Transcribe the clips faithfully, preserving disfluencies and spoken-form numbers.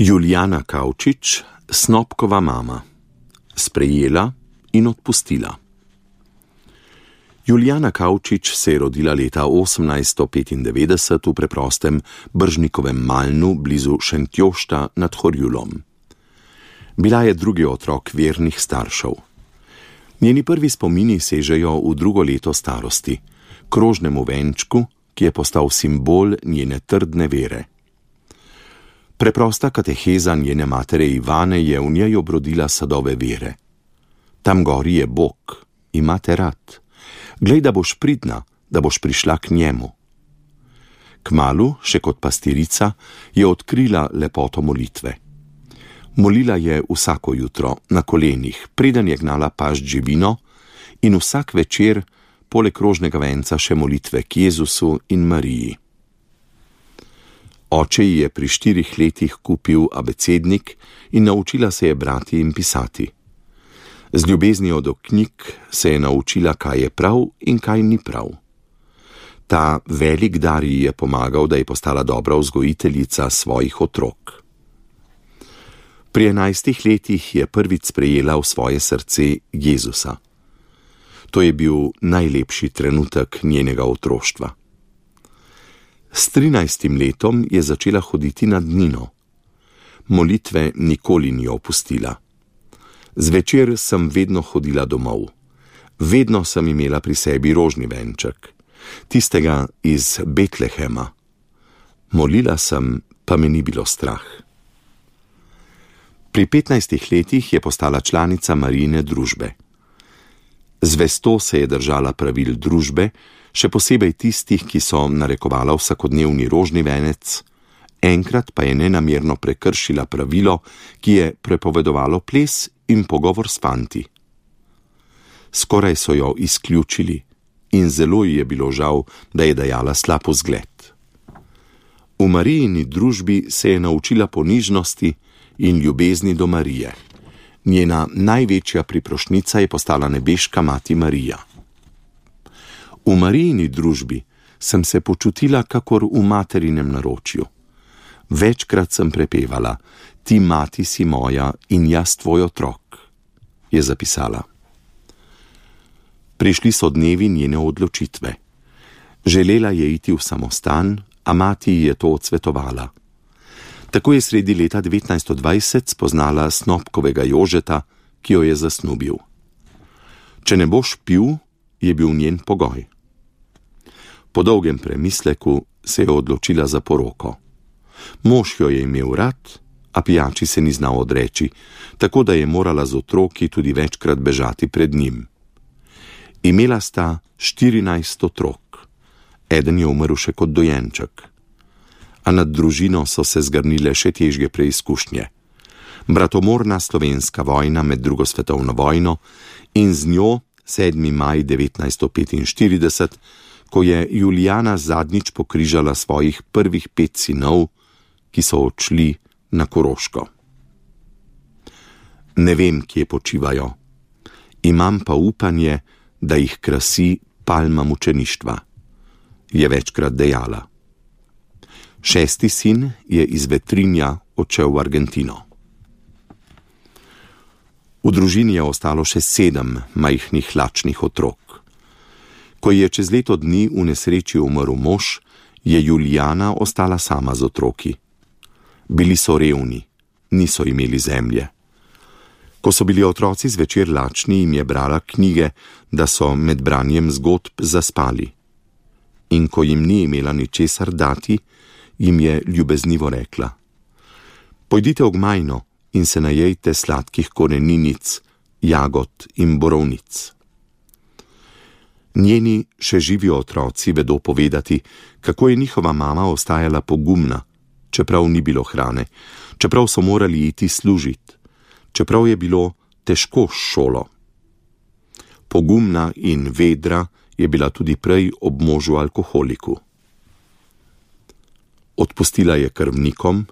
Julijana Kavčič, Snopkova mama. Sprejela in odpustila. Julijana Kavčič se je rodila leta osemnajststo petindevetdeset v preprostem Bržnikovem Malnu blizu Šentjošta nad Horjulom. Bila je drugi otrok vernih staršev. Njeni prvi spomini sežejo v drugo leto starosti, krožnemu venčku, ki je postal simbol njene trdne vere. Preprosta kateheza njene matere Ivane je v njej obrodila sadove vere. Tam gori je Bog, ima te rad. Glej, da boš pridna, da boš prišla k njemu. Kmalu, še kot pastirica, je odkrila lepoto molitve. Molila je vsako jutro, na kolenih, preden je gnala pašč živino, in vsak večer, poleg krožnega venca, še molitve k Jezusu in Mariji. Oče ji je pri štirih letih kupil abecednik in naučila se je brati in pisati. Z ljubeznijo do knjig se je naučila, kaj je prav in kaj ni prav. Ta velik dar ji je pomagal, da je postala dobra vzgojiteljica svojih otrok. Pri enajstih letih je prvič sprejela v svoje srce Jezusa. To je bil najlepši trenutek njenega otroštva. S trinajstim letom je začela hoditi na dnino. Molitve nikoli ni opustila. Zvečer sem vedno hodila domov. Vedno sem imela pri sebi rožni venček, tistega iz Betlehema. Molila sem, pa me ni bilo strah. Pri petnajstih letih je postala članica Marijine družbe. Zvesto se je držala pravil družbe, še posebej tistih, ki so narekovala vsakodnevni rožni venec, enkrat pa je nenamerno prekršila pravilo, ki je prepovedovalo ples in pogovor s fanti. Skoraj so jo izključili in zelo ji je bilo žal, da je dajala slab vzgled. V Marijini družbi se je naučila ponižnosti in ljubezni do Marije. Njena največja priprošnica je postala nebeška mati Marija. V Marijini družbi sem se počutila kakor v materinem naročju. Večkrat sem prepevala: ti mati si moja in jaz tvoj otrok, je zapisala. Prišli so dnevi njene odločitve. Želela je iti v samostan, a mati ji je to odsvetovala. Tako je sredi leta devetnajststo dvajset spoznala Snopkovega Jožeta, ki jo je zasnubil. Če ne boš pil, je bil njen pogoj. Po dolgem premisleku se je odločila za poroko. Mož jo je imel rad, a pijači se ni znal odreči, tako da je morala z otroki tudi večkrat bežati pred njim. Imela sta štirinajst otrok, eden je umrl še kot dojenček. A nad družino so se zgrnile še težje preizkušnje. Bratomorna slovenska vojna med drugo svetovno vojno in z njo sedmi maj devetnajststo petinštirideset, ko je Julijana zadnjič pokrižala svojih prvih pet sinov, ki so odšli na Koroško. Ne vem, kje počivajo. Imam pa upanje, da jih krasi palma mučeništva, je večkrat dejala. Šesti sin je iz Vetrinja odšel v Argentino. V družini je ostalo še sedem majhnih lačnih otrok. Ko je čez leto dni v nesreči umrl mož, je Julijana ostala sama z otroki. Bili so revni, niso imeli zemlje. Ko so bili otroci zvečer lačni, jim je brala knjige, da so med branjem zgodb zaspali. In ko jim ni imela ničesar dati, jim je ljubeznivo rekla: pojdite v gmajno in se najejte sladkih koreninic, jagod in borovnic. Njeni še živi otroci vedo povedati, kako je njihova mama ostajala pogumna, čeprav ni bilo hrane, čeprav so morali iti služit, čeprav je bilo težko s šolo. Pogumna in vedra je bila tudi prej ob možu alkoholiku. Odpustila je krvnikom,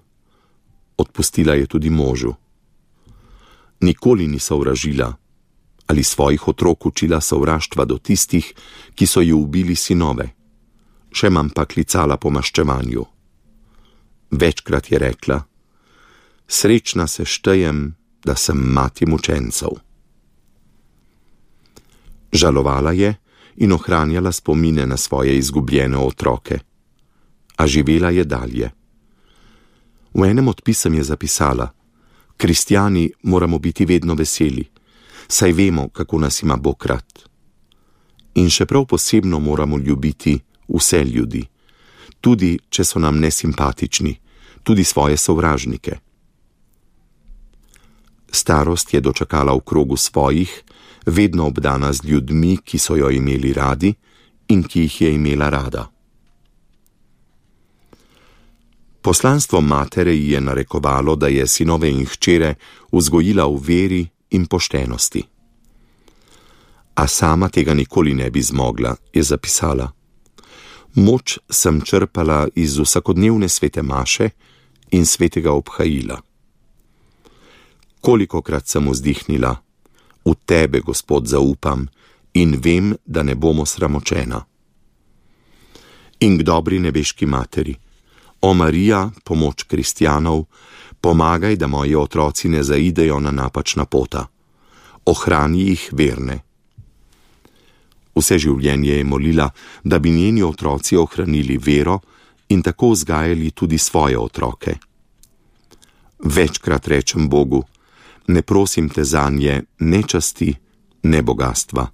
odpustila je tudi možu. Nikoli ni sovražila ali svojih otrok učila sovraštva do tistih, ki so ji ubili sinove, še manj pa klicala po maščevanju. Večkrat je rekla: Srečna se štejem, da sem mati mučencev. Žalovala je in ohranjala spomine na svoje izgubljene otroke, a živela je dalje. V enem od pisem je zapisala: kristjani moramo biti vedno veseli, saj vemo, kako nas ima Bog rad. In še prav posebno moramo ljubiti vse ljudi, tudi če so nam nesimpatični, tudi svoje sovražnike. Starost je dočakala v krogu svojih, vedno obdana z ljudmi, ki so jo imeli radi in ki jih je imela rada. Poslanstvo matere ji je narekovalo, da je sinove in hčere vzgojila v veri in poštenosti. A sama tega nikoli ne bi zmogla, je zapisala. Moč sem črpala iz vsakodnevne svete maše in svetega obhajila. Kolikokrat sem vzdihnila: v tebe, Gospod, zaupam in vem, da ne bomo sramočena. In k dobri nebeški materi: o Marija, pomoč kristjanov, pomagaj, da moji otroci ne zaidejo na napačna pota. Ohrani jih verne. Vse življenje je molila, da bi njeni otroci ohranili vero in tako vzgajali tudi svoje otroke. Večkrat rečem Bogu: ne prosim te zanje ne časti, ne bogastva.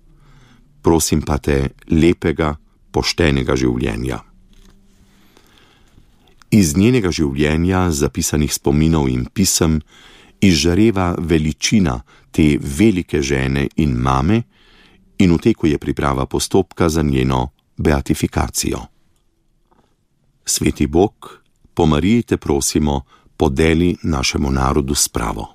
Prosim pa te lepega, poštenega življenja. Iz njenega življenja, zapisanih spominov in pisem, izžareva veličina te velike žene in mame, in v teku je priprava postopka za njeno beatifikacijo. Sveti Bog, po Mariji te prosimo, podeli našemu narodu spravo.